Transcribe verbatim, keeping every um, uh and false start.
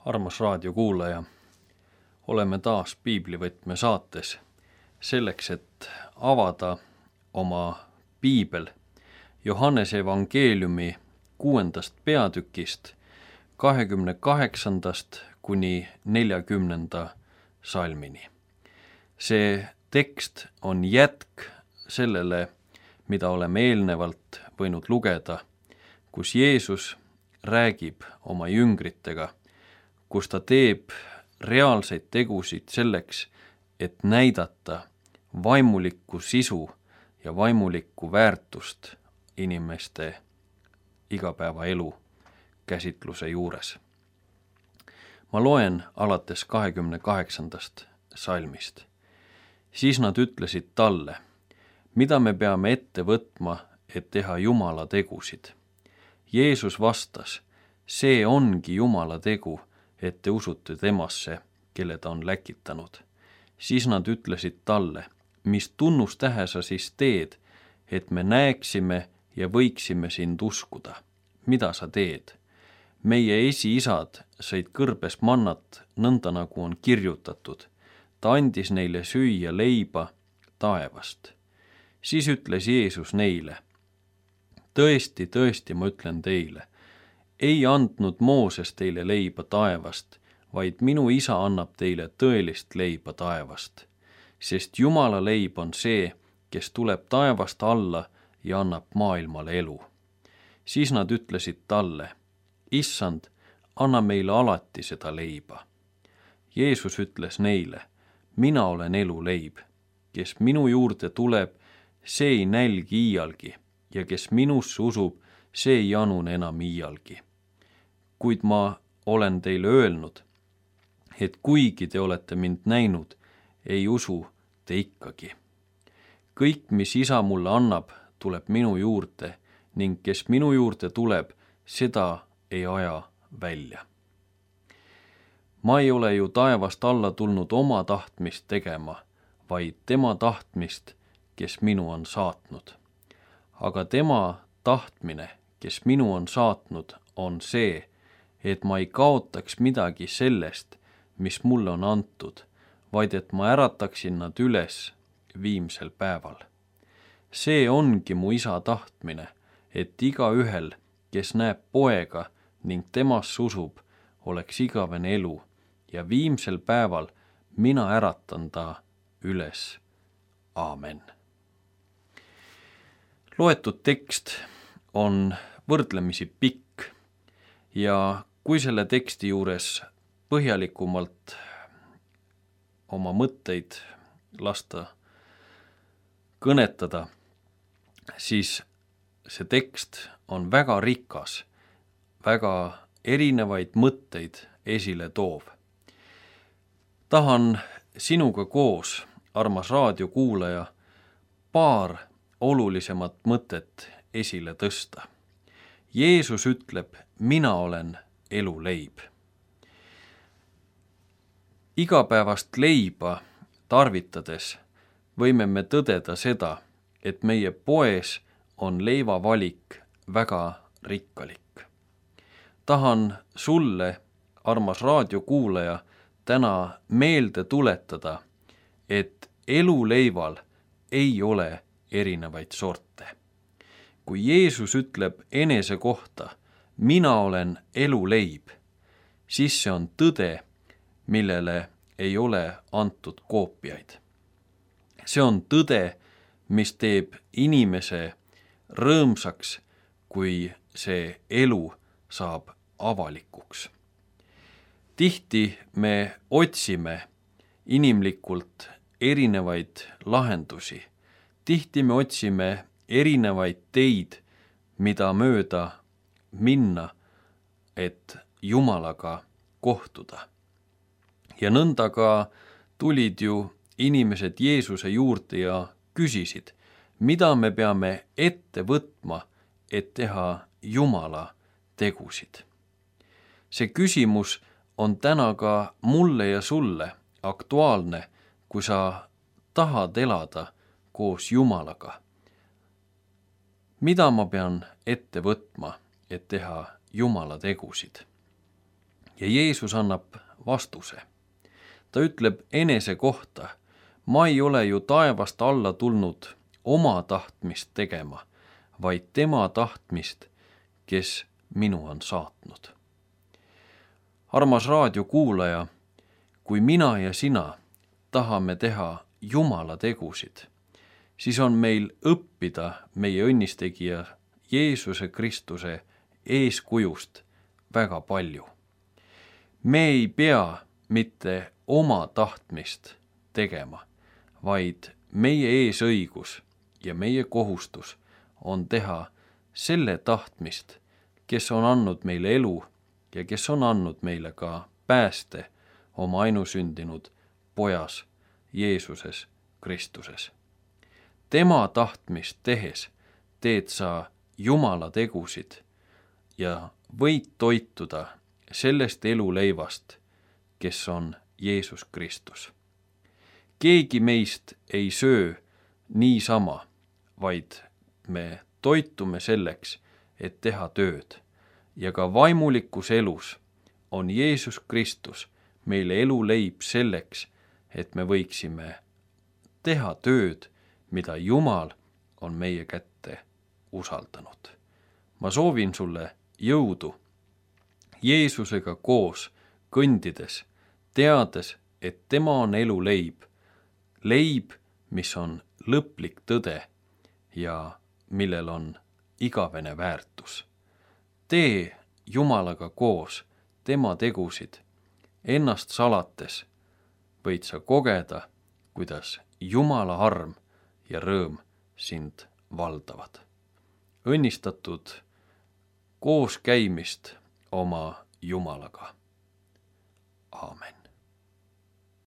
Armas raadiokuulaja, oleme taas Piiblivõtme saates selleks, et avada oma piibel Johannese evangeeliumi kuuendast peatükist kahekümne kaheksandast kuni neljakümnenda salmini. See tekst on jätk sellele, mida oleme eelnevalt võinud lugeda, kus Jeesus räägib oma jüngritega, kus ta teeb reaalseid tegusid selleks, et näidata vaimulikku sisu ja vaimulikku väärtust inimeste igapäevaelu käsitluse juures. Ma loen alates kahekümne kaheksandast salmist. Siis nad ütlesid talle, mida me peame ette võtma, et teha Jumala tegusid. Jeesus vastas, see ongi Jumala tegu, et te usute temasse, kelle ta on läkitanud. Siis nad ütlesid talle, mis tunnustähe sa siis teed, et me näeksime ja võiksime sind uskuda. Mida sa teed? Meie esiisad sõid kõrbes mannat, nõnda nagu on kirjutatud. Ta andis neile süüa leiba taevast. Siis ütles Jeesus neile, tõesti, tõesti, ma ütlen teile, ei andnud Mooses teile leiba taevast, vaid minu isa annab teile tõelist leiba taevast, sest Jumala leib on see, kes tuleb taevast alla ja annab maailmale elu. Siis nad ütlesid talle, issand, anna meile alati seda leiba. Jeesus ütles neile, mina olen elu leib, kes minu juurde tuleb, see ei nälgi iialgi ja kes minusse usub, see ei janune enam iialgi. Kuid ma olen teile öelnud, et kuigi te olete mind näinud, ei usu te ikkagi. Kõik, mis isa mulle annab, tuleb minu juurde ning kes minu juurde tuleb, seda ei aja välja. Ma ei ole ju taevast alla tulnud oma tahtmist tegema, vaid tema tahtmist, kes minu on saatnud. Aga tema tahtmine, kes minu on saatnud, on see, et ma ei kaotaks midagi sellest, mis mulle on antud, vaid et ma ärataksin nad üles viimsel päeval. See ongi mu isa tahtmine, et igaühel, kes näeb poega ning temast usub, oleks igavene elu ja viimsel päeval mina äratan ta üles. Aamen. Loetud tekst on võrdlemisi pikk ja kui selle teksti juures põhjalikumalt oma mõtteid lasta kõnetada, siis see tekst on väga rikas, väga erinevaid mõtteid esile toov. Tahan sinuga koos, armas raadiokuulaja, paar olulisemat mõtet esile tõsta. Jeesus ütleb, mina olen elu leib. Igapäevast leiba tarvitades võime me tõdeda seda, et meie poes on leivavalik väga rikkalik. Tahan sulle, armas raadiokuulaja, täna meelde tuletada, et eluleival ei ole erinevaid sorte. Kui Jeesus ütleb enese kohta, mina olen elu leib, siis see on tõde, millele ei ole antud koopiaid. See on tõde, mis teeb inimese rõõmsaks, kui see elu saab avalikuks. Tihti me otsime inimlikult erinevaid lahendusi. Tihti me otsime erinevaid teid, mida mööda minna, et Jumalaga kohtuda. Ja nõnda ka tulid ju inimesed Jeesuse juurde ja küsisid, mida me peame ette võtma, et teha Jumala tegusid. See küsimus on täna ka mulle ja sulle aktuaalne, kui sa tahad elada koos Jumalaga. Mida ma pean ette võtma, et teha Jumala tegusid? ja Jeesus annab vastuse. Ta ütleb enese kohta, ma ei ole ju taevast alla tulnud oma tahtmist tegema, vaid tema tahtmist, kes minu on saatnud. Armas raadiokuulaja, kui mina ja sina tahame teha Jumala tegusid, siis on meil õppida meie õnnistegija Jeesuse Kristuse eeskujust väga palju. Me ei pea mitte oma tahtmist tegema, vaid meie eesõigus ja meie kohustus on teha selle tahtmist, kes on andnud meile elu ja kes on andnud meile ka pääste oma ainusündinud pojas Jeesuses Kristuses. Tema tahtmist tehes teed sa Jumala tegusid ja võid toituda sellest eluleivast, kes on Jeesus Kristus. Keegi meist ei söö niisama, vaid me toitume selleks, et teha tööd. Ja ka vaimulikus elus on Jeesus Kristus meile eluleib selleks, et me võiksime teha tööd, mida Jumal on meie kätte usaldanud. Ma soovin sulle jõudu Jeesusega koos kõndides, teades, et tema on eluleib, leib, mis on lõplik tõde ja millel on igavene väärtus. Tee Jumalaga koos tema tegusid, ennast salates võid sa kogeda, kuidas Jumala arm ja rõõm sind valdavad. Õnnistatud koos käimist oma Jumalaga. Aamen.